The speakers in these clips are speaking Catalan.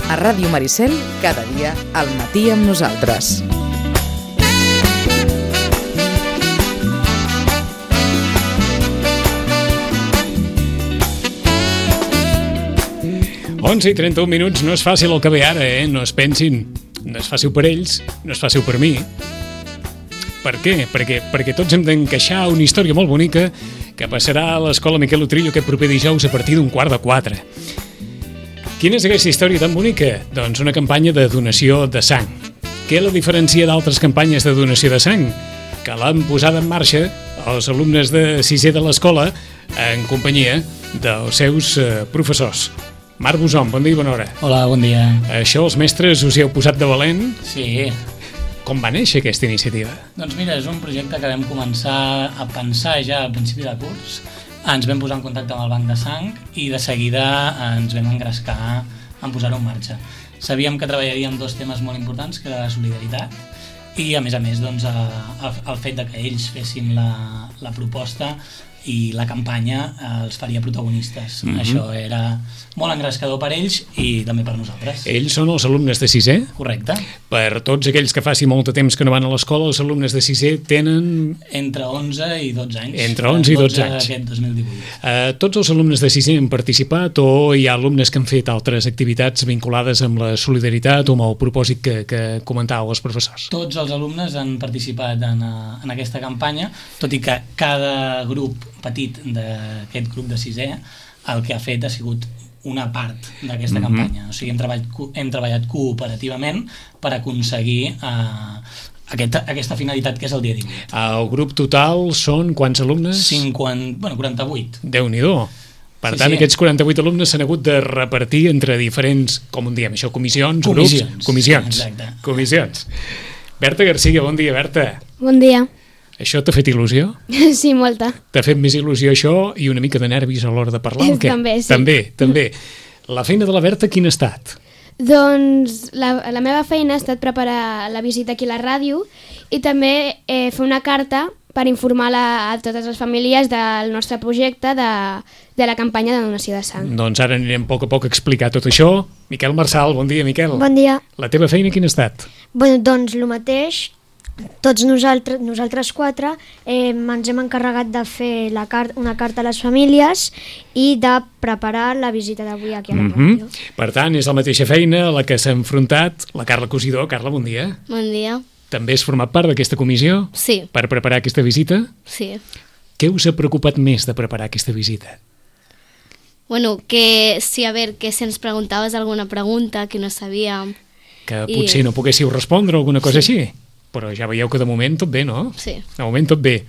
A Ràdio Maricel, cada dia al matí amb nosaltres. Onze i 31 minuts, no és fàcil el que ve ara, no es pensin. No és fàcil per ells, no és fàcil per mi. Per què? Perquè tots hem d'encaixar una història molt bonica que passarà a l'Escola Miquel Utrillo aquest proper dijous a partir d'un 3:15. Quina és aquesta història tan bonica? Doncs una campanya de donació de sang. Què la diferencia d'altres campanyes de donació de sang? Que l'han posada en marxa els alumnes de sisè de l'escola en companyia dels seus professors. Marc Bosom, bon dia i bona hora. Hola, bon dia. Això els mestres us hi heu posat de valent? Sí. Com va néixer aquesta iniciativa? Doncs mira, és un projecte que vam començar a pensar ja al principi de curs. Ens vam posar en contacte amb el Banc de Sang i de seguida ens vam engrescar en posar-ho en marxa. Sabíem que treballaríem dos temes molt importants, que era la solidaritat i, a més, doncs, el fet de que ells fessin la proposta i la campanya els faria protagonistes. Això era molt engrescador per ells i també per nosaltres. Ells són els alumnes de sisè? Correcte. Per tots aquells que faci molt de temps que no van a l'escola, els alumnes de sisè tenen... Entre 11 i 12 anys. Entre 11 i 12 anys. Aquest 2018. Tots els alumnes de sisè han participat o hi ha alumnes que han fet altres activitats vinculades amb la solidaritat o amb el propòsit que comentàveu els professors? Tots els alumnes han participat en aquesta campanya, tot i que cada grup petit d'aquest grup de sisè el que ha fet ha sigut una part d'aquesta campanya. O sigui, hem treballat cooperativament per aconseguir aquesta finalitat que és el dia 18. El grup total són quants alumnes? 48. Déu-n'hi-do. Per tant, aquests 48 alumnes s'han hagut de repartir entre diferents, com en diem això, comissions, grups? Comissions. Exacte. Comissions. Berta Garcia, bon dia, Berta. Bon dia. Això t'ha fet il·lusió? Sí, molta. T'ha fet més il·lusió això i una mica de nervis a l'hora de parlar o què? També, sí. També. La feina de la Berta quina ha estat? Doncs la meva feina ha estat preparar la visita aquí a la ràdio i també fer una carta per informar a totes les famílies del nostre projecte de la campanya de donació de sang. Doncs ara anirem a poc a explicar tot això. Miquel Marçal, bon dia, Miquel. Bon dia. La teva feina quina ha estat? Bueno, doncs el mateix. Tots nosaltres quatre ens hem encarregat de fer una carta a les famílies i de preparar la visita d'avui aquí a la ràdio. Per tant, és la mateixa feina a la que s'ha enfrontat la Carla Cosidó. Carla, bon dia. Bon dia. També has format part d'aquesta comissió? Sí. Per preparar aquesta visita? Sí. Què us ha preocupat més de preparar aquesta visita? Bueno, que si ens preguntaves alguna pregunta que no sabíem. Que potser no poguéssiu respondre o alguna cosa així? Però ja veieu que de moment tot bé, no? Sí. De moment tot bé.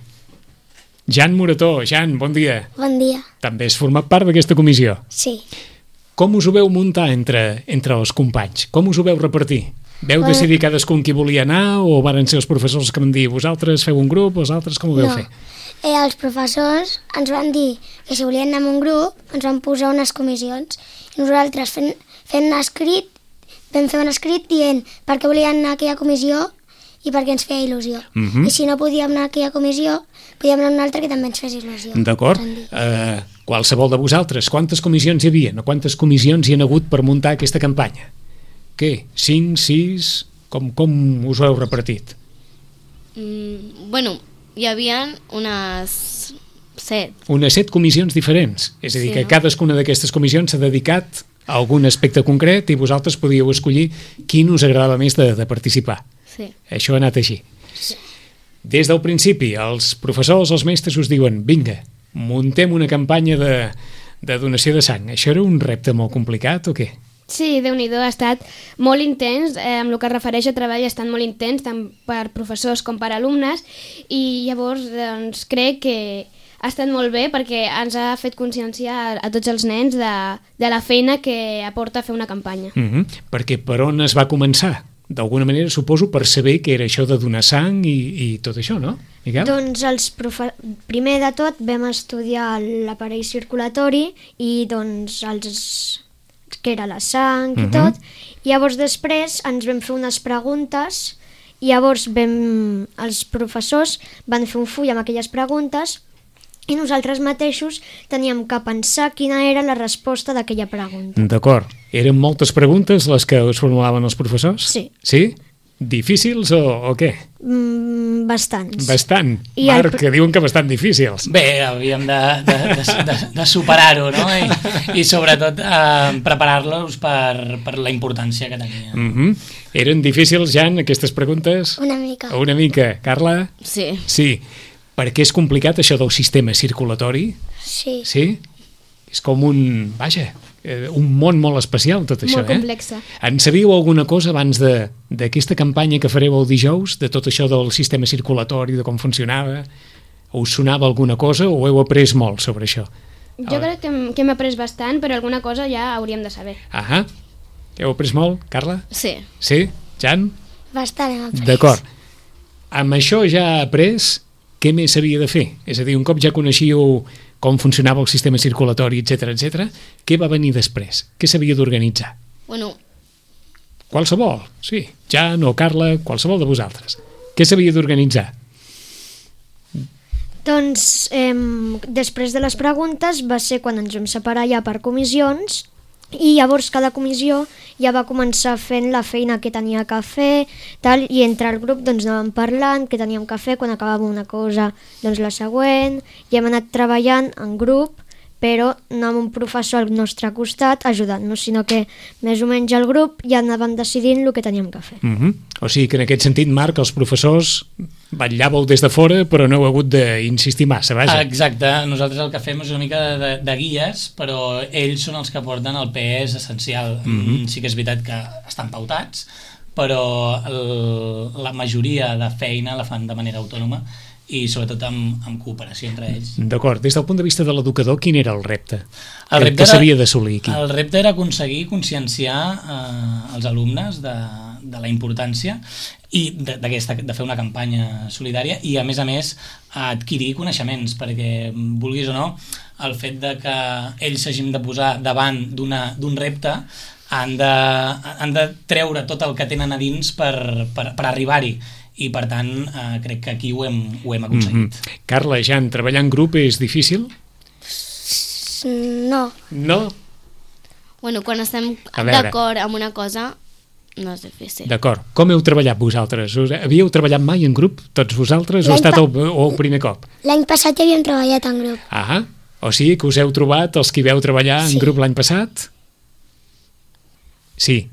Jan Morató, Jan, bon dia. Bon dia. També has format part d'aquesta comissió? Sí. Com us ho veu muntar entre els companys? Com us ho veu repartir? Veu decidir cadascun qui volia anar o varen ser els professors que van dir vosaltres feu un grup, vosaltres com ho veu fer? Els professors ens van dir que si volien anar en un grup ens van posar unes comissions i nosaltres fent un escrit vam fer un escrit dient per què volien anar a aquella comissió i perquè ens feia il·lusió. I si no podíem anar a aquella comissió, podíem anar a una altra que també ens fes il·lusió. D'acord. Qualsevol de vosaltres, quantes comissions hi havia? Quantes comissions hi han hagut per muntar aquesta campanya? Què? 5, 6? Com us ho heu repartit? Bueno, hi havia unes 7. Unes 7 comissions diferents. És a dir, que cadascuna d'aquestes comissions s'ha dedicat a algun aspecte concret i vosaltres podíeu escollir quin us agradava més de participar. Sí. Això ha anat així. Sí. Des del principi, els professors, els mestres us diuen vinga, muntem una campanya de donació de sang. Això era un repte molt complicat o què? Sí, Déu-n'hi-do, ha estat molt intens, amb el que es refereix a treball ha estat molt intens, tant per professors com per alumnes, i llavors doncs, crec que ha estat molt bé perquè ens ha fet conscienciar a tots els nens de la feina que aporta fer una campanya. Perquè per on es va començar? D'alguna manera, suposo, per saber què era això de donar sang i tot això, no, Miquel? Doncs primer de tot vam estudiar l'aparell circulatori i doncs què era la sang i tot. Llavors després ens vam fer unes preguntes i llavors els professors van fer un full amb aquelles preguntes i nosaltres mateixos teníem que pensar quina era la resposta d'aquella pregunta. D'acord. Eren moltes preguntes les que us formulaven els professors? Sí. Sí? Difícils o què? Bastants. Bastant. I Marc, que diuen que bastant difícils. Bé, havíem de superar-ho, no? I sobretot preparar-los per la importància que tenia. Eren difícils, Jan, aquestes preguntes? Una mica. Una mica. Carla? Sí. Sí. Per què és complicat això del sistema circulatori? Sí. Sí? És com un... Vaja, un món molt especial, tot això, Molt complexa. En sabíeu alguna cosa abans d'aquesta campanya que fareu el dijous, de tot això del sistema circulatori, de com funcionava? Us sonava alguna cosa o heu après molt sobre això? Jo crec que hem après bastant, però alguna cosa ja hauríem de saber. Ahà. Heu après molt, Carla? Sí. Sí? Jan? Bastant hem après. D'acord. Amb això ja après, què més s'havia de fer? És a dir, un cop ja coneixíeu com funcionava el sistema circulatori, etc, què va venir després? Què s'havia d'organitzar? Bueno, Qualsevol, sí. Jan o Carla, qualsevol de vosaltres. Què s'havia d'organitzar? Doncs després de les preguntes va ser quan ens vam separar ja per comissions i llavors cada comissió ja va començar fent la feina que tenia que fer tal, i entre el grup doncs anàvem parlant què teníem que fer, quan acabàvem una cosa doncs la següent, i hem anat treballant en grup però no amb un professor al nostre costat ajudant-nos, sinó que més o menys el grup ja anàvem decidint el que teníem que fer. O sigui que en aquest sentit, Marc, els professors vetllàveu des de fora però no heu hagut d'insistir massa, vaja. Exacte, nosaltres el que fem és una mica de guies, però ells són els que porten el pes essencial. Sí que és veritat que estan pautats, però la majoria de feina la fan de manera autònoma i sobretot amb cooperació entre ells. D'acord, des del punt de vista de l'educador, quin era el repte? El repte que s'havia d'assolir aquí? El repte era aconseguir conscienciar els alumnes de la importància i de fer una campanya solidària i a més adquirir coneixements, perquè vulguis o no, el fet de que ells s'hagin de posar davant d'un repte han de treure tot el que tenen a dins per arribar-hi, i per tant crec que aquí ho hem aconseguit. Carla, Jan, treballar en grup és difícil? No. No? bueno, quan estem d'acord amb una cosa no és difícil. D'acord. Com heu treballat vosaltres? Havíeu treballat mai en grup, tots vosaltres, o ha estat el primer cop? L'any passat ja havíem treballat en grup. Ah, o sigui que us heu trobat els que hi veu treballar en grup l'any passat? Sí.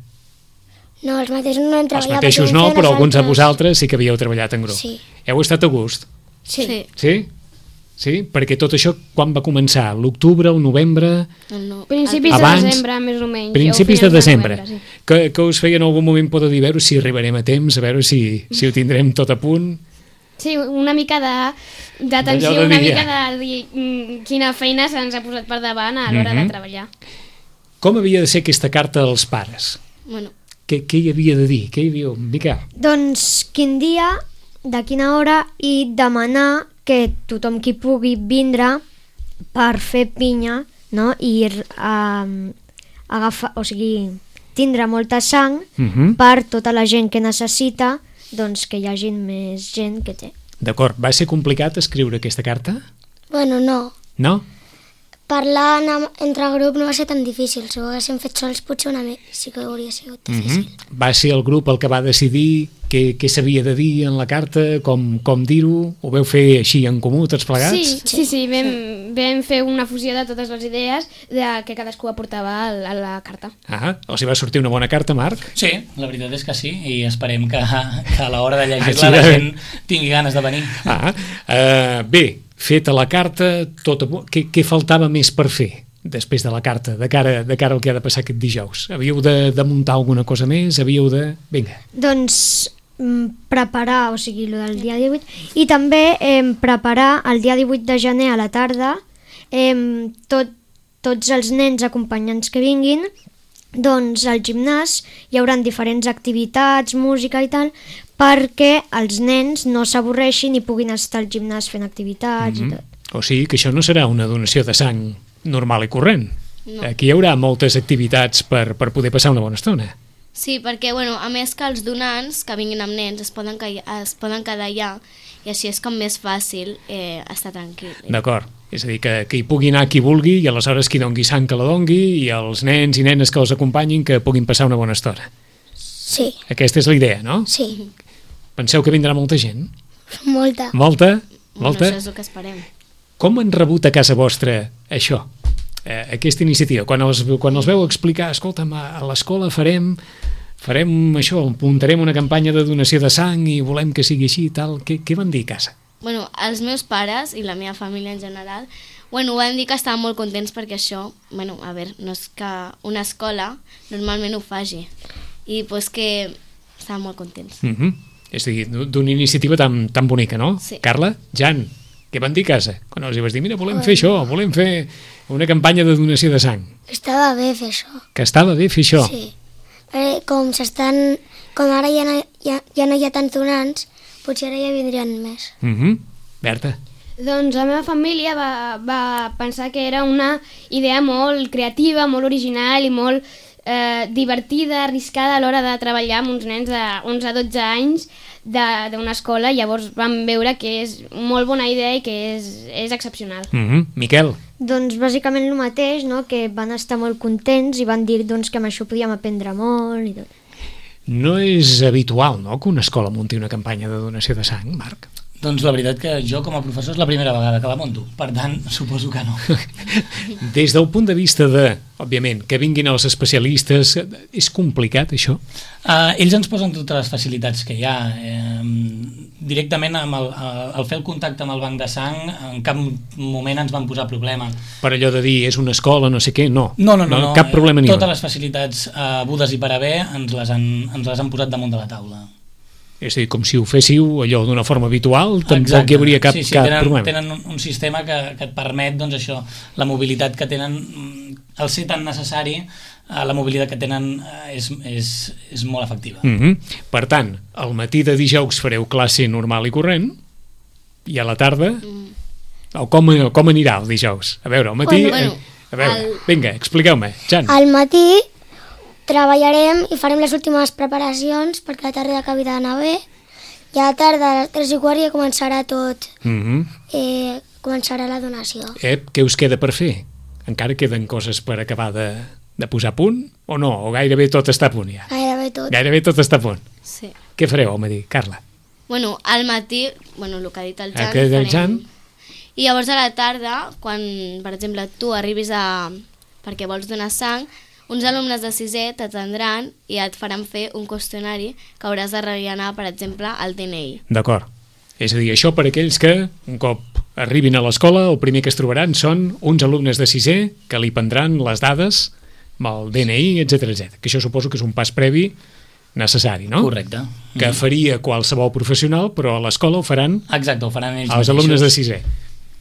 No, els mateixos no hem treballat. Els mateixos no, però alguns de vosaltres sí que havíeu treballat en grup. Sí. Heu estat a gust? Sí. Sí? Sí? Perquè tot això quan va començar? L'octubre, el novembre? No. Principis Abans, de desembre, més o menys. Principis de desembre. Novembre, sí. Que us feia en algun moment por de dir, a veure si arribarem a temps, a veure si ho tindrem tot a punt. Sí, una mica d'atenció, D'allò de una dir, mica de dir quina feina se'ns ha posat per davant a l'hora de treballar. Com havia de ser aquesta carta als pares? Bueno, Què hi havia de dir? Què hi havia? Miquel? Doncs quin dia, de quina hora, i demanar que tothom qui pugui vindre per fer pinya, no? I agafar, o sigui, tindre molta sang per tota la gent que necessita, doncs que hi hagi més gent que té. D'acord. Va ser complicat escriure aquesta carta? Bueno, no. No? Parlar entre grup no va ser tan difícil. Si ho haguéssim fet sols potser una mica sí que hauria sigut difícil. Va ser el grup el que va decidir què s'havia de dir en la carta, com dir-ho? Ho veu fer així en comú, tots plegats? Sí, vam fer una fusió de totes les idees que cadascú aportava a la carta. Ah, o sigui, va sortir una bona carta, Marc? Sí, la veritat és que sí, i esperem que a l'hora de llegir-la la gent tingui ganes de venir. Bé, feta la carta, què faltava més per fer després de la carta, de cara al que ha de passar aquest dijous? Havíeu de muntar alguna cosa més? Havíeu de... Vinga. Doncs preparar, o sigui, el del dia 18, i també preparar el dia 18 de gener a la tarda tots els nens acompanyants que vinguin, doncs al gimnàs hi haurà diferents activitats, música i tal, perquè els nens no s'avorreixin i puguin estar al gimnàs fent activitats i tot. O sigui que això no serà una donació de sang normal i corrent. No. Aquí hi haurà moltes activitats per poder passar una bona estona. sí, perquè bueno, a més que els donants que vinguin amb nens es poden quedar allà i així és com més fàcil estar tranquil. D'acord. És a dir, que hi pugui anar qui vulgui i aleshores qui dongui sang que la dongui i els nens i nenes que els acompanyin que puguin passar una bona estona. Sí, Aquesta és la idea, no? sí, Penseu que vindrà molta gent? molta. Molta? Bueno, Molta? això és el que esperem. Com han rebut a casa vostra això? Aquesta iniciativa? Quan els veu explicar, escolta'm, a l'escola farem això, muntarem una campanya de donació de sang i volem que sigui així i tal, què van dir a casa? Bueno, els meus pares i la meva família en general, bueno, van dir que estaven molt contents perquè això, bueno, a veure, no és que una escola normalment ho faci. I pues que estaven molt contents. És a dir, d'una iniciativa tan bonica, no? Sí. Carla, Jan, què van dir a casa? Quan els hi vas dir, mira, volem fer això, volem fer una campanya de donació de sang. Estava bé fer això. Que estava bé fer això. Sí. Com ara ja no hi ha tants donants, potser ara ja vindrien més. Berta. Doncs la meva família va pensar que era una idea molt creativa, molt original i molt divertida, arriscada a l'hora de treballar amb uns nens de 11 a 12 anys d'una escola. Llavors vam veure que és molt bona idea i que és excepcional. Miquel. Doncs bàsicament el mateix, no? Que van estar molt contents i van dir doncs, que amb això podíem aprendre molt i tot. No és habitual, no?, que una escola munti una campanya de donació de sang, Marc? Doncs la veritat que jo com a professor és la primera vegada que la monto, per tant suposo que no. Des del punt de vista de, òbviament, que vinguin els especialistes, és complicat això? Ells ens posen totes les facilitats que hi ha. Directament al fer el contacte amb el banc de sang en cap moment ens van posar problema. Per allò de dir és una escola, no sé què, no. No. Cap problema ni un. Totes les facilitats budes i per haver ens les han posat damunt de la taula. És a dir, com si ho féssiu allò d'una forma habitual, tampoc hi hauria cap problema. Tenen un sistema que et permet, doncs això, la mobilitat que tenen, al ser tan necessari, la mobilitat que tenen és molt efectiva. Per tant, al matí de dijous fareu classe normal i corrent, i a la tarda, com anirà el dijous? A veure, al matí... Vinga, expliqueu-me, Jan. Al matí treballarem i farem les últimes preparacions perquè la tarda acabi d'anar bé i a la tarda a les 3:15 ja començarà tot, començarà la donació. Què us queda per fer? Encara queden coses per acabar de posar a punt o no? O gairebé tot està a punt ja? Gairebé tot. Gairebé tot està a punt. Sí. Què fareu al matí, Carla? Bueno, al matí, bueno, el que ha dit el Jan, que ha dit el Jan. I llavors a la tarda, quan, per exemple, tu arribis perquè vols donar sang, uns alumnes de 6è t'atendran i et faran fer un qüestionari que hauràs de rellenar, per exemple, al DNI. D'acord. És a dir, això per aquells que, un cop arribin a l'escola, el primer que es trobaran són uns alumnes de 6è que li prendran les dades amb el DNI, etc. Que això suposo que és un pas previ necessari, no? Correcte. Que faria qualsevol professional, però a l'escola ho faran... Exacte, ho faran ells els alumnes de 6è.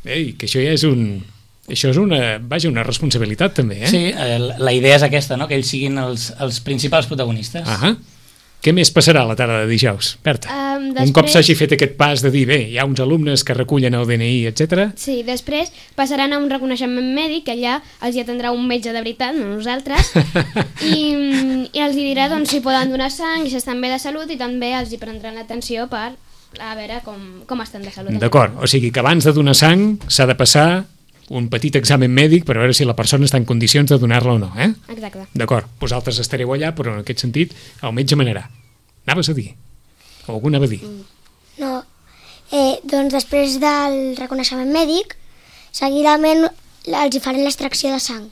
Ei, que això ja és una responsabilitat també, eh? Sí, la idea és aquesta, no? Que ells siguin els principals protagonistes. Què més passarà a la tarda de dijous, Berta? Un cop s'hagi fet aquest pas de dir, bé, hi ha uns alumnes que recullen el DNI, etc. Sí, després passaran a un reconeixement mèdic, que allà els hi atendrà un metge de veritat, no nosaltres, i els hi dirà doncs, si poden donar sang, si estan bé de salut, i també els hi prendran l'atenció per a veure com estan de salut. D'acord, o sigui que abans de donar sang s'ha de passar un petit examen mèdic per veure si la persona està en condicions de donar-la o no, eh? Exacte. D'acord, vosaltres estareu allà, però en aquest sentit el metge manarà. Anaves a dir? O algú anava a dir? No. Doncs després del reconeixement mèdic, seguidament els hi faran l'extracció de sang,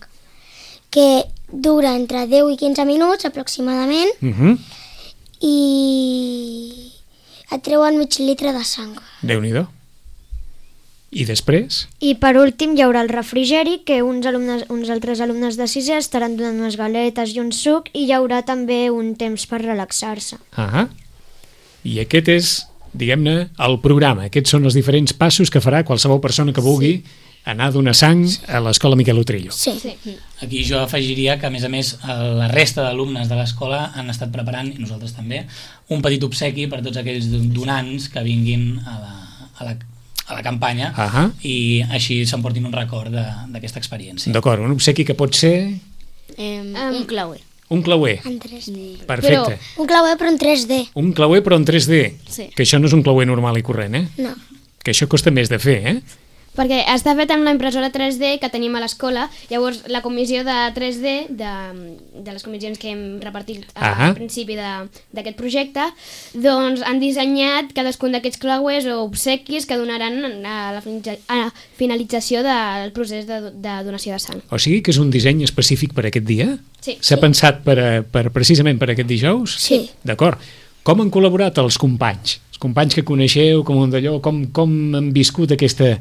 que dura entre 10 i 15 minuts aproximadament, i et treuen mig litre de sang. Déu-n'hi-do. I després? I per últim hi haurà el refrigeri, que uns altres alumnes de 6è estaran donant unes galetes i un suc, i hi haurà també un temps per relaxar-se. I aquest és, diguem-ne, el programa. Aquests són els diferents passos que farà qualsevol persona que vulgui anar a donar sang a l'escola Miquel Utrillo. Sí. Aquí jo afegiria que, a més, la resta d'alumnes de l'escola han estat preparant, i nosaltres també, un petit obsequi per tots aquells donants que vinguin a la campanya i així s'emportin un record d'aquesta experiència. D'acord, un obsequi que pot ser... un clauer. Un clauer. En 3D. Perfecte. Un clauer però en 3D. Un clauer però en 3D. Sí. Que això no és un clauer normal i corrent, eh? No. Que això costa més de fer, eh? Perquè està fet amb la impressora 3D que tenim a l'escola. Llavors, la comissió de 3D, de les comissions que hem repartit al principi d'aquest projecte, doncs han dissenyat cadascun d'aquests creuers o obsequis que donaran a la finalització del procés de donació de sang. O sigui que és un disseny específic per aquest dia? Sí. S'ha pensat precisament per aquest dijous? Sí. D'acord. Com han col·laborat els companys? Els companys que coneixeu, com un d'allò, com han viscut aquesta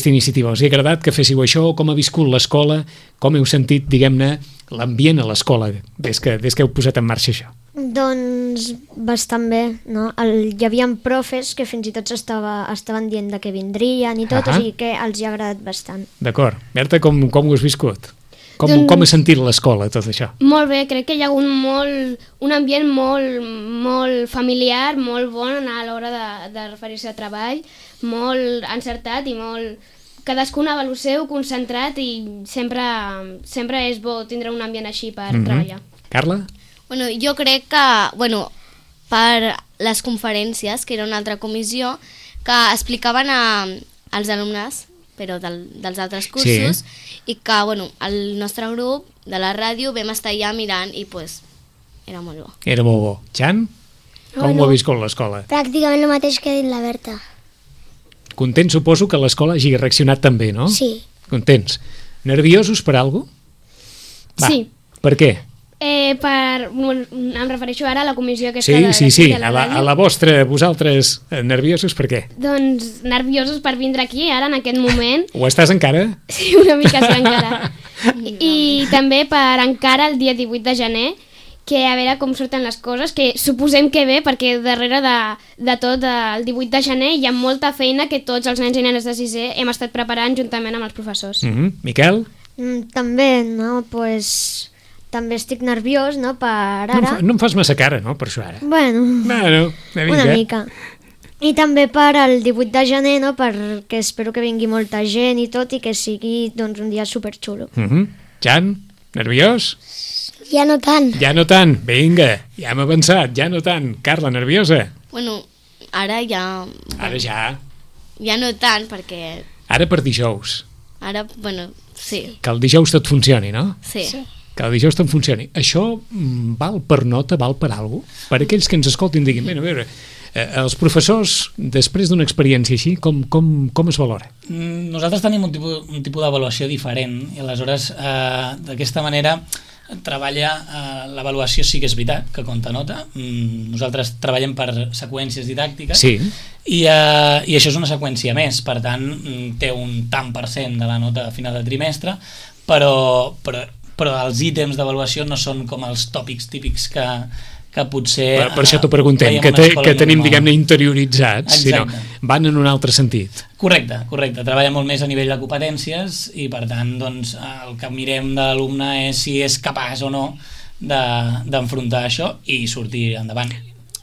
iniciativa? Els ha agradat que féssiu això? Com ha viscut l'escola? Com heu sentit, diguem-ne, l'ambient a l'escola des que heu posat en marxa això? Doncs bastant bé, no? Hi havia profes que fins i tot estaven dient de que vindrien i tot, o sigui que els hi ha agradat bastant. D'acord. Berta, com ho has viscut? Com ha sentit l'escola, tot això? Molt bé, crec que hi ha hagut un ambient molt familiar, molt bon a l'hora de referir-se a treball, molt encertat i molt... Cadascun a lo seu, concentrat, i sempre és bo tindre un ambient així per treballar. Carla? Bueno, jo crec que, per les conferències, que era una altra comissió, que explicaven als alumnes, però dels altres cursos, i que, el nostre grup de la ràdio vam estar allà mirant i, era molt bo. Era molt bo. Jan? Com ho ha viscut l'escola? Pràcticament el mateix que ha dit la Berta. Content, suposo, que l'escola hagi reaccionat també, no? Sí. Contents. Nerviosos per alguna cosa? Sí. Per què? Em refereixo ara a la comissió aquesta Sí, de la ràdio. a la vostra, vosaltres, nerviosos per què? Doncs nerviosos per vindre aquí, ara, en aquest moment. Ho estàs encara? Sí, una mica sí, encara. I també per encara el dia 18 de gener, que a veure com surten les coses, que suposem que bé, perquè darrere de tot el 18 de gener hi ha molta feina que tots els nens i nenes de 6è hem estat preparant juntament amb els professors. Miquel? També, no? També estic nerviós, no?, per ara. No em fas massa cara, no?, per això ara. Bueno, una mica. I també per el 18 de gener, no?, perquè espero que vingui molta gent i tot, i que sigui, doncs, un dia superxulo. Jan, nerviós? Ja no tant. Ja no tant, vinga, ja hem avançat, ja no tant. Carla, nerviosa? Ara ja... Ara ja. Ja no tant, perquè... Ara per dijous. Ara, sí. Que el dijous tot funcioni, no? Sí. Que el dijous tot funcioni. Això val per nota, val per alguna cosa? Per aquells que ens escoltin diguin, a veure, els professors, després d'una experiència així, com es valora? Nosaltres tenim un tipus d'avaluació diferent i aleshores d'aquesta manera l'avaluació sí que és veritat, que compta nota. Nosaltres treballem per seqüències didàctiques i això és una seqüència més, per tant té un tant per cent de la nota a final de trimestre, però els ítems d'avaluació no són com els tòpics típics que potser... Per això t'ho preguntem, que tenim, diguem-ne, interioritzats, sinó van en un altre sentit. Correcte. Treballa molt més a nivell de competències i, per tant, doncs, el que mirem de l'alumne és si és capaç o no d'enfrontar això i sortir endavant.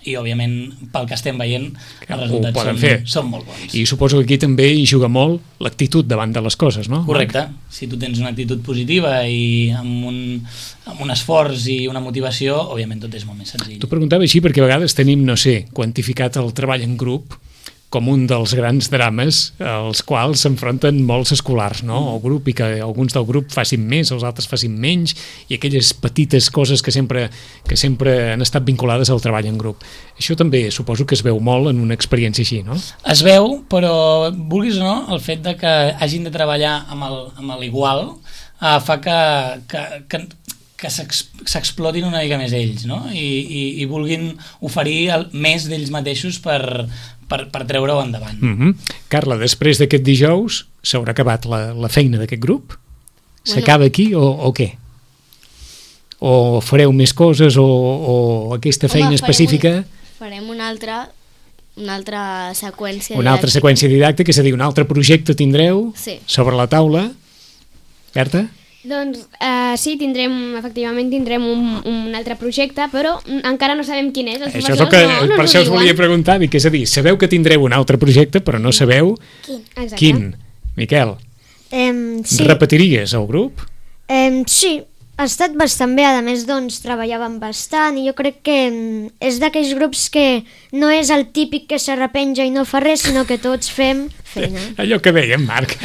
I, òbviament, pel que estem veient, els resultats són molt bons. I suposo que aquí també hi juga molt l'actitud davant de les coses, no? Correcte. Si tu tens una actitud positiva i amb un esforç i una motivació, òbviament tot és molt més senzill. T'ho preguntava així perquè a vegades tenim, no sé, quantificat el treball en grup com un dels grans drames als quals s'enfronten molts escolars, no? El grup, i que alguns del grup facin més, els altres facin menys, i aquelles petites coses que sempre han estat vinculades al treball en grup. Això també suposo que es veu molt en una experiència així, no? Es veu, però vulguis o no, el fet de que hagin de treballar amb l'igual fa que s'explotin una mica més ells, no? I vulguin oferir més d'ells mateixos per treure-ho endavant. Carla, després d'aquest dijous s'haurà acabat la feina d'aquest grup? S'acaba aquí o què? O fareu més coses o aquesta feina específica? Farem una altra seqüència una altra seqüència didàctica, és a dir, un altre projecte tindreu sobre la taula. Berta? Doncs sí, efectivament tindrem un altre projecte, però encara no sabem quin és. Això és el que per això us volia preguntar, és a dir, sabeu que tindreu un altre projecte, però no sabeu quin. Miquel, repetiries el grup? Sí, ha estat bastant bé, a més doncs treballàvem bastant i jo crec que és d'aquells grups que no és el típic que s'arrepenja i no fa res, sinó que tots fem feina. Allò que dèiem, Marc.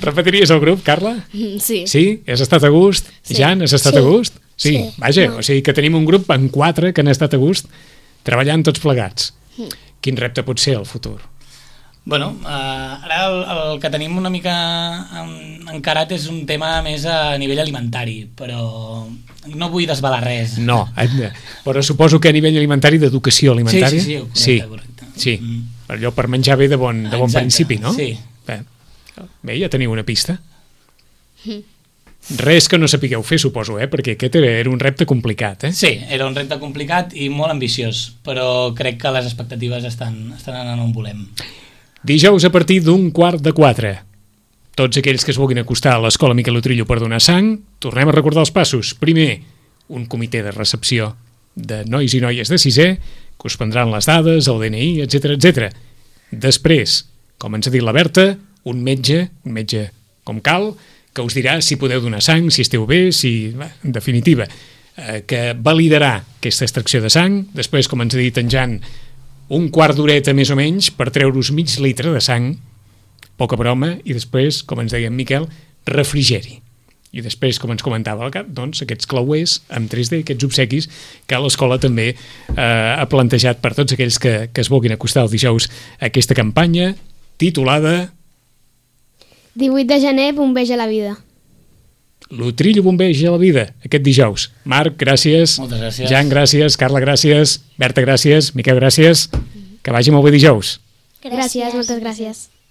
Repetiries el grup, Carla? Sí. Sí? Has estat a gust? Sí. Jan, has estat Sí. a gust? Sí. Sí. Vaja, No. o sigui que tenim un grup amb 4 que han estat a gust treballant tots plegats. Quin repte pot ser el futur? Bueno, ara el que tenim una mica encarat és un tema més a nivell alimentari, però no vull desvelar res. No, però suposo que a nivell alimentari, d'educació alimentària... Sí, correcte. Sí, allò per menjar bé de bon Exacte, principi, no? sí. Bé, ja teniu una pista. Res que no sapigueu fer, suposo, perquè aquest era un repte complicat, Sí, era un repte complicat i molt ambiciós, però crec que les expectatives estan anant on volem. Dijous a partir d'3:15. Tots aquells que es vulguin acostar a l'Escola Miquel Utrillo per donar sang, tornem a recordar els passos. Primer, un comitè de recepció de nois i noies de 6è que us prendran les dades, el DNI, etc etc. Després, com ens ha dit la Berta, un metge com cal, que us dirà si podeu donar sang, si esteu bé, en definitiva, que validarà aquesta extracció de sang. Després, com ens ha dit en Jan, un quart d'horeta més o menys per treure-us mig litre de sang, poca broma, i després, com ens deia en Miquel, refrigeri. I després, com ens comentava el Cap, doncs aquests clauers amb 3D, aquests obsequis que l'escola també ha plantejat per tots aquells que es vulguin acostar el dijous a aquesta campanya titulada 18 de gener, bombeig a la vida. L'Utrillo bombeig a la vida, aquest dijous. Marc, gràcies. Moltes gràcies. Jan, gràcies. Carla, gràcies. Berta, gràcies. Miquel, gràcies. Que vagi molt bé dijous. Gràcies, moltes gràcies.